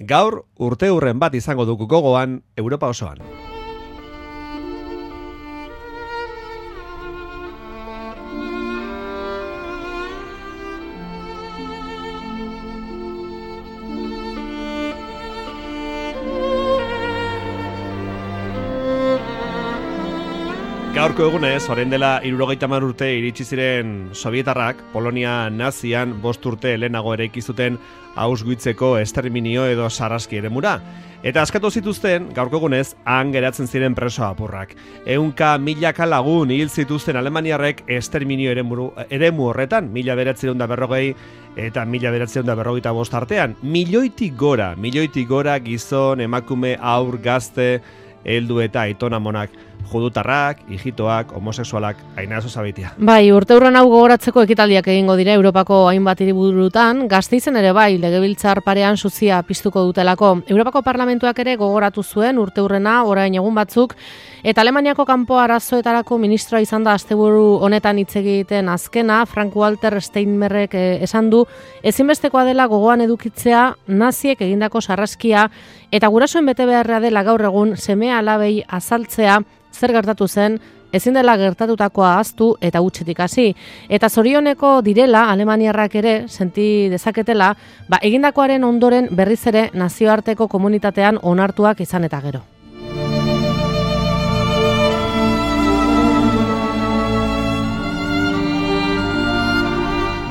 Gaur urteurren bat izango dugu gogoan Europa osoan. Gaurko egunez, orain dela 70 urte iritsi ziren Sovietarrak Polonia nazian 5 urte lehenago eraiki zuten Auschwitzeko esterminio edo sarraski eremura. Eta askatu zituzten, gaurko egunez, han geratzen ziren preso apurrak. 100.000 lagun hil zituzten alemaniarrek esterminio eremu horretan, 1940 eta 1945 artean. Milioitik gora gizon, emakume, haur, gazte, heldu eta aitonamonak, judutarrak, hijitoak, homosexualak, Ainazo Zabaitia. Bai, urteurren hau gogoratzeko ekitaldiak egingo dira Europako hainbat hiriburutan, Gasteizen ere bai, legebiltzar parean suzia piztuko dutelako. Europako Parlamentuak ere gogoratu zuen urteurrena orain egun batzuk, eta Alemaniako kanpo arazoetarako ministroa izan da asteburu honetan hitz egiten azkena, Frank-Walter Steinmeierrek esan du, ezinbestekoa dela gogoan edukitzea naziek egindako sarraskia, eta gurasoen betebeharra dela gaur egun seme-alabei azaltzea zer gertatu zen, ezin dela gertatutakoa ahaztu eta hutsetik hasi. Eta zorioneko direla alemaniarrak ere senti dezaketela, egindakoaren ondoren berriz ere nazioarteko komunitatean onartuak izan eta gero.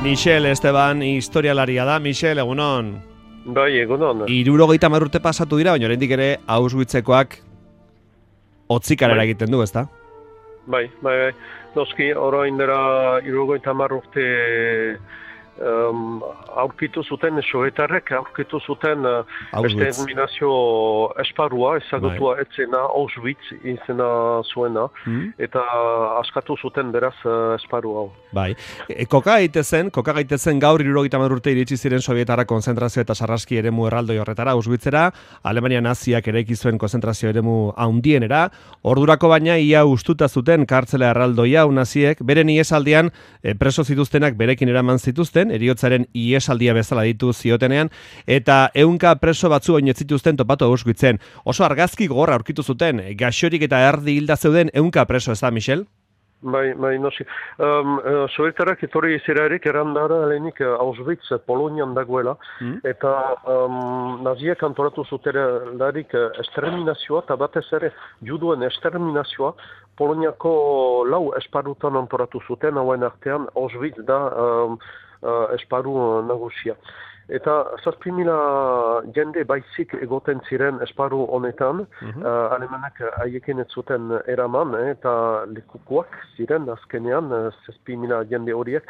Michel Esteban historialaria da. Michel, egunon. Bai, egunon. 70 urte pasatu dira, baina oraindik ere Auschwitzekoak otzikarera egiten du, ezta? Bai. Noski, orain dela 70 urte aurkitu zuten Sovietarrek, aurkitu zuten exterminazio esparrua, ezagutua etzena Auschwitz izena zuena, eta askatu zuten beraz esparru hau. Bai. Koka gaitezen gaur 70 urte iritsi ziren Sovietarrak konzentrazio eta sarraski eremu erraldoi horretara, Auschwitzera, Alemania naziak eraiki zuen konzentrazio eremu handienera, ordurako baina ia ustuta zuten kartzela erraldoia naziek, beren iesaldian preso zituztenak berekin eraman zituzten, eriotzaren iesaldia bezala ditu ziotenean, eta 100 preso batzu baino ez zituzten topatu Auschwitzen. Oso argazki gogorra aurkitu zuten, gaixorik eta erdi hilda zeuden 100 preso, ez da, Michel? Bai, noski. Sovietarrak etorri zerarik erandara lehenik Auschwitz Polonian dagoela, eta naziak antolatu zutelarik esterminazioa, eta batez ere juduen esterminazioa, Poloniako 4 esparrutan antolatu zuten, hauen artean Auschwitz da esparru nagusia. Eta 7.000 jende baizik egoten ziren esparru honetan, alemanak haiekin ez zuten eraman, eta lekukoak ziren azkenean 7.000 jende horiek,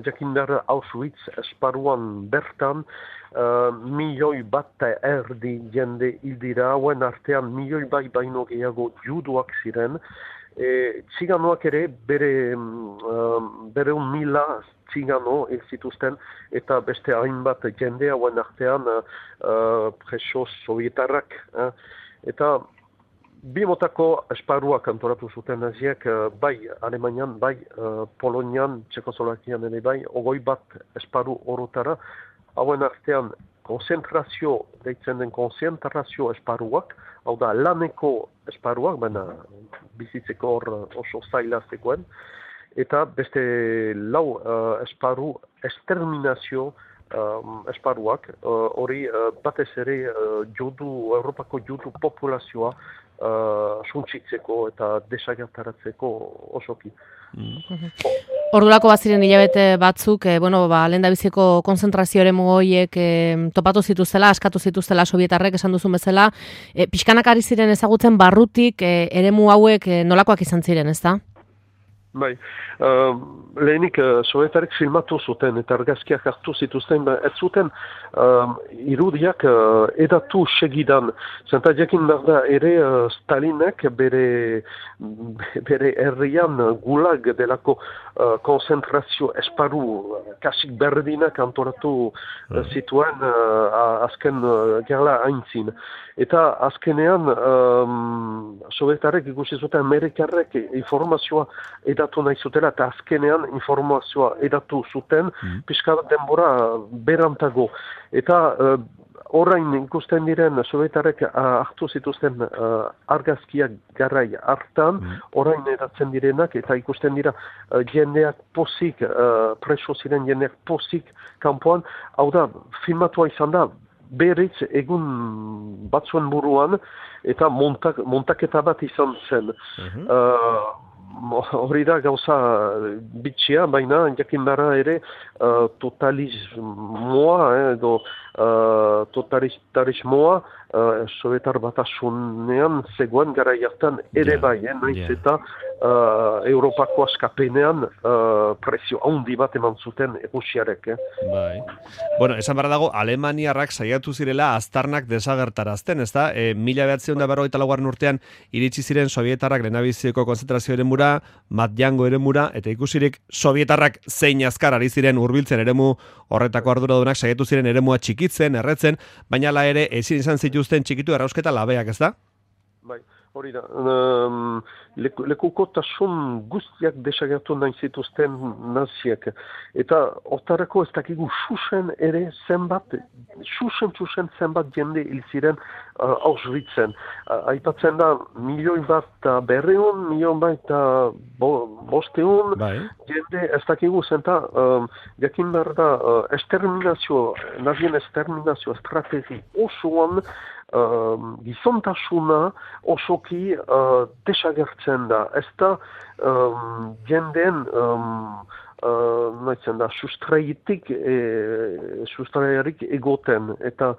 jakindar Auschwitz esparruan bertan 1,000,000 jende hildira, hauen artean 1,000,000 baino gehiago juduak ziren, txiganoak ere bere 1,000 txigano zituzten, eta beste hainbat jende hauen artean preso sovietarrak. Eta bi motako esparruak antolatu zuten naziek, bai Alemanian, bai Polonian, Txekoslovakian ere bai, 21 esparru orotara, hauen artean konzentrazio, deitzen den konzentrazio esparruak, hau da laneko esparruak, baina bizitzeko hor oso zaila zegoen, eta beste 4 esparru exterminazio esparruak, hori batez ere Europako judu populazioa suntsitzeko eta desagertaratzeko osoki. Ordurako baziren hilabete batzuk, lehendabiziko konzentrazio eremu horiek topatu zituztela, askatu zituztela Sovietarrek esan duzun bezala, pixkanak ari ziren ezagutzen barrutik eremu hauek nolakoak izan ziren, ezta? Bai, lehenik Sovietarrek filmatu zuten eta argazkiak hartu zituzten, ez zuten irudiak edatu segidan. Zenta jakin behar da ere Stalinek bere herrian gulag delako konzentrazio esparru kasik berdinak antolatu zituen azken gerla haintzin. Eta azkenean Sovietarrek ikusi zuten Amerikarrek informazioa edatu edatu nahi zutela, eta azkenean informazioa edatu zuten, pixka bat denbora berantago. Eta orain ikusten diren Sovietarrek hartu zituzten argazkiak garai hartan, orain edatzen direnak, eta ikusten dira jendeak pozik, preso ziren jendeak pozik kanpoan, hau da, filmatua izan da, berriz egun batzuen buruan, eta montaketa bat izan zen. Hori da gauza bitxia, baina jakin bara ere totalismoa edo totalitarismoa Sovietar batasunean zegoen gara jartan ere bai, naiz eta Europako askapenean prezio handi bat eman zuten Rusiarek. Bai. Bueno, esan barra dago, Alemaniarrak saiatu zirela aztarnak desagertarazten, ezta? 1944 urtean iritsi ziren Sovietarrak lehenabiziko konzentrazio eremura, Matjango eremura, eta ikusirik Sovietarrak zein azkar ari ziren hurbiltzen eremu horretako arduradunak saiatu ziren eremua txikitzen, erretzen, baina hala ere ezin izan zituzten txikitu errausketa labeak, ez da? Bai, hori da. Lekukotasun guztiak desagertu nahi zituzten naziek. Eta hortarako ez dakigu susen ere zenbat, susen zenbat jende hil ziren Auschwitzen. Aipatzen da, 1.100.000, 1.500.000 jende ez dakigu zenta, jakin behar da, nazien exterminazio estrategi osoan, gizontasuna osoki desagertzen da. Ez da jendeen sustraiarik egoten. Eta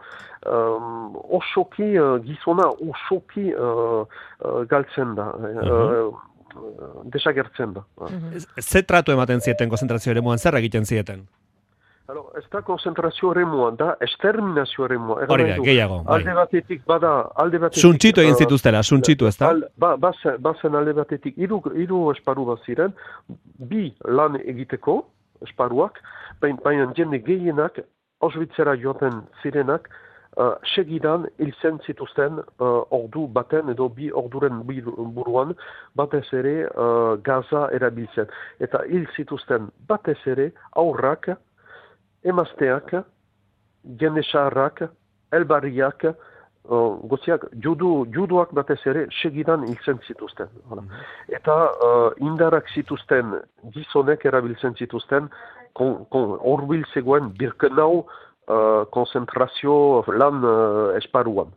osoki, gizona osoki galtzen da. Desagertzen da. Ze tratu ematen zieten konzentrazio eremuan, zer egiten zieten? Ez da konzentrazio eremuan, da exterminazio eremuan. Hori da, gehiago. Alde batetik bada... Suntxitu egin zituztela, suntxitu ez da? Bazen alde batetik, hiru esparu bat ziren, bi lan egiteko esparuak, baina jende gehienak, Auschwitzera joaten zirenak, segidan hiltzen zituzten ordu baten edo bi orduren buruan batez ere gaza erabiltzen. Eta hil zituzten batez ere aurrak, emazteak, jende saharrak, elbarriak, goziak, juduak batez ere segidan hiltzen zituzten. Eta indarrak zituzten, gizonek erabiltzen zituzten, horbil zegoen Birkenau konzentrazio lan esparuan.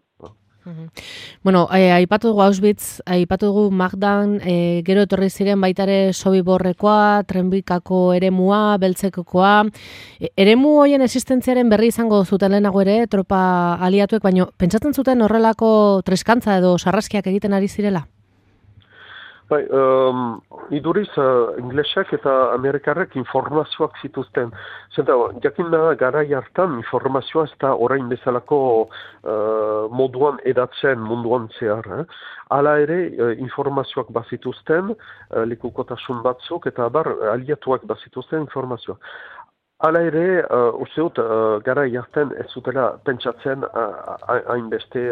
Bueno, aipatu dugu Auschwitz, aipatu dugu Magdan, gero etorri ziren baitare Sobiborrekoa, Trenbikako eremua, Beltzekokoa. Eremu hoien existentziaren berri izango zuten lehenago ere, tropa aliatuek, baino pentsatzen zuten horrelako treskantza edo sarraskiak egiten ari zirela? Bai, iduriz, inglesak eta amerikarrek informazioak zituzten. Zenta, jakin da, garai hartan informazioa ez da orain bezalako moduan edatzen munduan zehar. Hala ere, informazioak bazituzten, lekukotasun batzuk, eta aliatuak bazituzten informazioak. Hala ere, usteut, gara jarten ez zutela pentsatzen hainbeste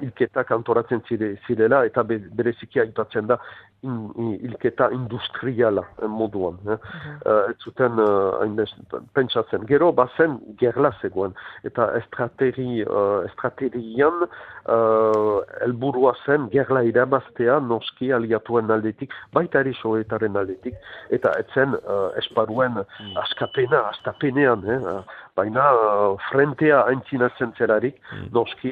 hilketak antoratzen zirela eta bereziki aipatzen da hilketa industriala moduan. Ez zuten pentsatzen. Gero bazen gerla zegoen eta estrategian helburua zen gerla irabaztea noski aliatuen aldetik, baita eri Sovietaren aldetik, eta etzen esparuen astapenean, baina frentea aintzinatzen zerarik, noski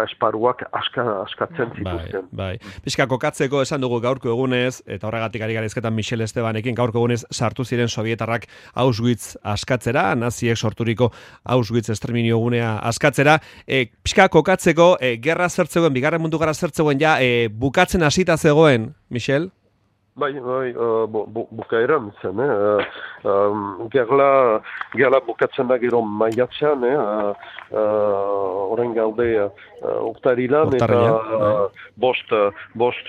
esparuak askatzen zituzten. Bai. Pixka kokatzeko esan dugu gaurko egunez, eta horregatik ari garizketan Michel Estebanekin, gaurko egunez sartu ziren Sovietarrak Auschwitz askatzera, naziek sorturiko Auschwitz esterminio gunea askatzera. Pixka kokatzeko, gerra zertzegoen, bigarren mundu gerra zertzegoen ja, bukatzen hasita zegoen, Michel? Bai, bukaeran zen, gerla bukatzen da gero maiatzean, orain gaude urtarilan eta bost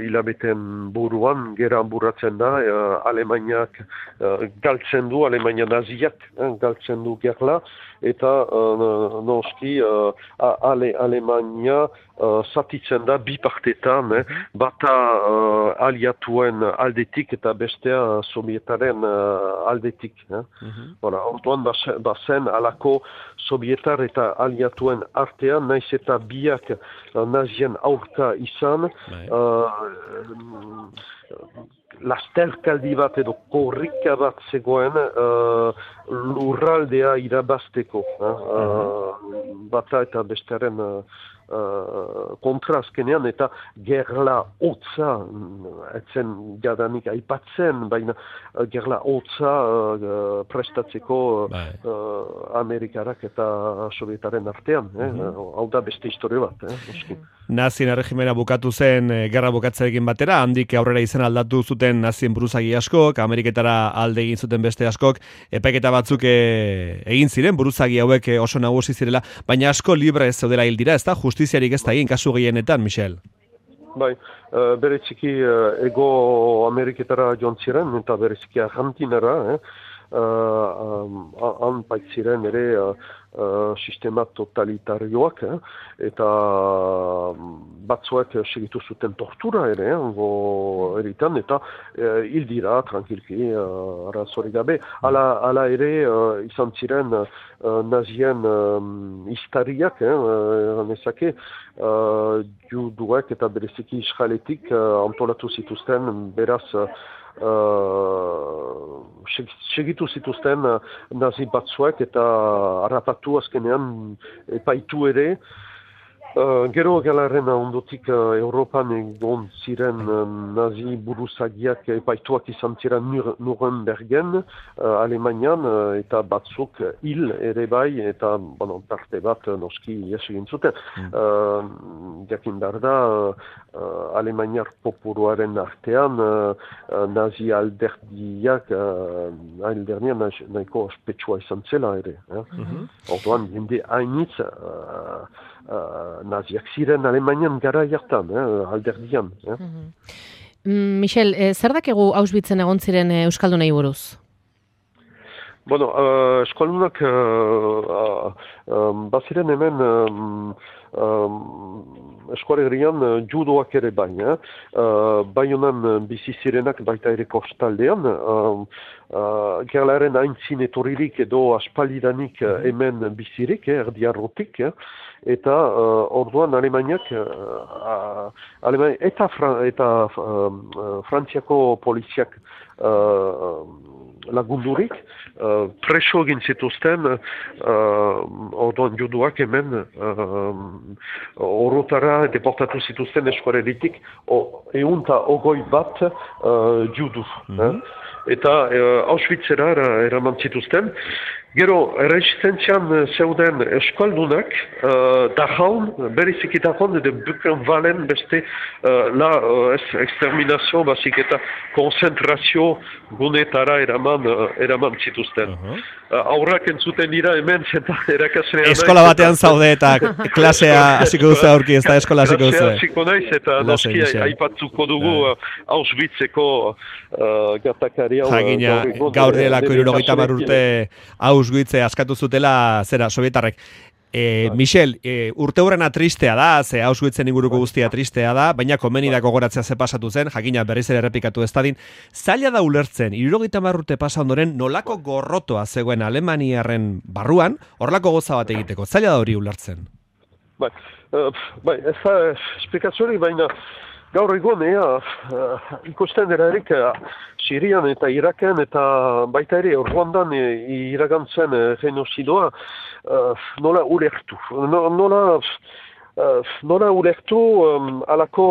hilabeten buruan gera burratzen da Alemaniak galtzen du, Alemania naziak galtzen du gerla eta noski Alemania zatitzen da bi partetan, bata aliatuen aldetik eta bestea sovietaren aldetik. Orduan bazen alako sovietar eta aliatuen artean, naiz eta biak nazien aurka izan, lasterkaldi bat edo korrika bat zegoen lurraldea irabazteko. Bata eta bestearen kontra azkenean eta gerla hotza, etzen jadanik aipatzen, baina gerla hotza prestatzeko Amerikarak eta Sovietaren artean. Hau da beste historia bat. Nazien erregimena bukatu zen gerra bukatzarekin batera, handik aurrera izen aldatu zuten nazien buruzagi askok, Ameriketara alde egin zuten beste askok, epaiketa batzuk egin ziren, buruzagi hauek oso nagusi zirela, baina asko libre ez zeudela hil dira, ez da justiziarik ez da egin kasu gehienetan, Michel? Bai, bereziki ego Ameriketara joan ziren, eta bereziki Argentinara, han baitziren ere sistema totalitarioak, eta batzuek segitu zuten tortura ere, eritan, eta hil dira, tranquilki, arazori gabe. Hala ere, izan ziren nazien historiak, nezake, juduek eta bereziki israeletik antolatu zituzten, beraz, segitu zituzten nazi batzuek eta harrapatu azkenean epaitu ere. Gero galaren ondotik Europan egon ziren nazi buruzagiak epaituak izan ziren Nurembergen, Alemanian, eta batzuk hil ere bai, eta parte bat noski ies egin zuten. Jakin behar da, Alemaniar popuruaren artean nazi alderdiak nahiko ospetsua izan zela ere. Orduan, jende hainitz naziak ziren Alemanian gara jartan, alderdian. Michel, zer dakegu Auschwitzen egon ziren euskaldunei buruz? Bueno, euskaldunak baziren hemen eskualegrian judoak ere bai. Bai honan bizi zirenak baita ere kostaldean. Gerlaren aintzin etorririk edo aspaldidanik hemen bizirik, erdiarrotik. Eta orduan Alemaniak eta Frantziako poliziak lagundurik preso egin zituzten orduan juduak hemen orotara deportatu zituzten eskualeritik 120 judu. Eta Auschwitzera eraman zituzten. Gero, erresistentzian zeuden eskaldunak, Dachau, beriziki Dachau, edo Buchenwalden beste exterminazio, basik eta konzentrazio gunetara eraman zituzten. Aurrak entzuten dira hemen, zeta erakaslean. Eskola batean zaude eta klasea hasiko duzu aurki, ez da eskola hasiko duzu. Klasea hasiko naiz eta noski aipatzuko dugu Auschwitzeko gertakaria. Jakina, gaur delako 70 urte Auschwitz askatu zutela zera sovietarrek. Michel, urte hurrena tristea da, ze Auschwitzen inguruko guztia tristea da, baina komeni da gogoratzea ze pasatu zen, jakina berriz ere errepikatu ez dadin. Zaila da ulertzen, 70 urte pasa ondoren nolako gorrotoa zegoen Alemaniarren barruan, horlako goza bat egiteko. Zaila da hori ulertzen. Bai, ez da esplikaziorik, baina gaur egon, ikusten erarik Sirian eta Iraken eta baita ere Ruandan iragantzen genozidoa nola ulertu. Nola ulertu alako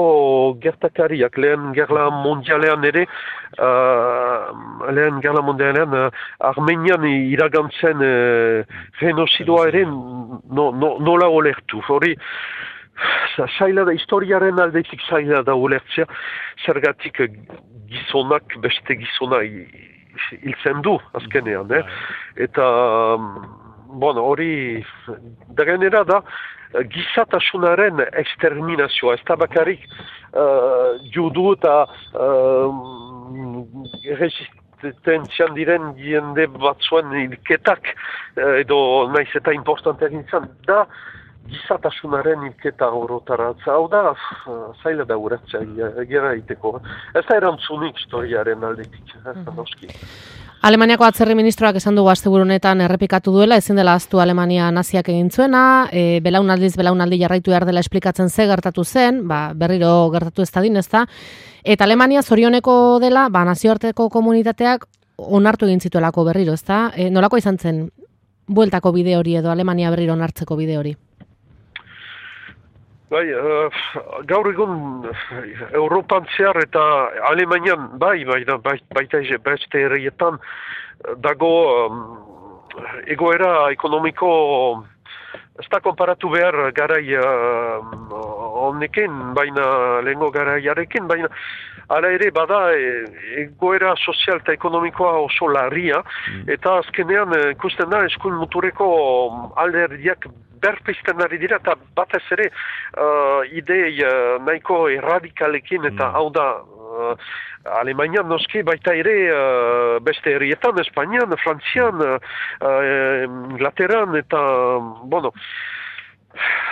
gertakariak lehen gerla mondialean ere, Armenian iragantzen genozidoa ere nola ulertu. Hori, zaila da, historiaren aldetik zaila da ulertzea, zergatik gizonak beste gizona hiltzen du azkenean. Eta hori, da gainera da, gizatasunaren exterminazioa, ez da bakarrik judu eta resistentzian diren jende batzuen hilketak, edo naiz eta importanteak izan, da gizatasunaren hilketa orotaratza, hau da, zaila da uratzea, gera egiteko. Ez da erantzunik historiaren aldetik, noski. Alemaniako atzerri ministroak esan dugu asteburu honetan errepikatu duela, ezin dela ahaztu Alemania naziak egin zuena, belaunaldi jarraitu behar dela esplikatzen ze gertatu zen, berriro gertatu ez dadin, ezta? Eta Alemania zorioneko dela, nazioarteko komunitateak onartu egin zituelako berriro, ezta? Nolako izan zen bueltako bide hori edo Alemania berriro onartzeko bide hori? Bai, gaur egun Europan zehar eta Alemanian baita beste herrietan dago egoera ekonomiko ez da konparatu behar garai honekin, baina lehengo garaiarekin, baina hala ere bada egoera sozial eta ekonomikoa oso larria, eta azkenean ikusten da eskuin muturreko alderdiak berpizten ari dira, eta batez ere idei nahiko erradikalekin, eta hau da Alemanian noski baita ere beste herrietan, Espainian, Frantzian, Inglaterran, eta,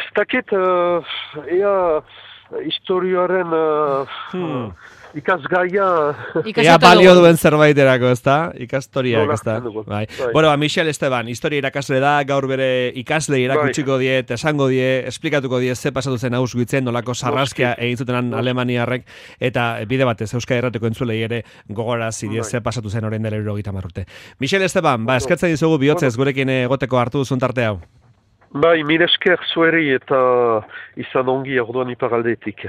ez dakit, ea historioaren ikasgaia... Ea balio duen zerbaiterako, ez da? Ikastoriak, ez da? Bai. Michel Esteban, historia irakasle da, gaur bere ikasle irakutsiko die, esango die, esplikatuko die ze pasatu zen Auschwitzen, nolako sarraskia egin zutenan alemaniarrek, eta bide batez Euskal Herrateko entzulei ere gogarazi die ze pasatu zen orain dela 70 urte. Michel Esteban, eskertzen dizugu bihotzez gurekin egoteko hartu duzun tarte hau. Bai, mire esker zueri eta izan ongi orduan iparaldetik.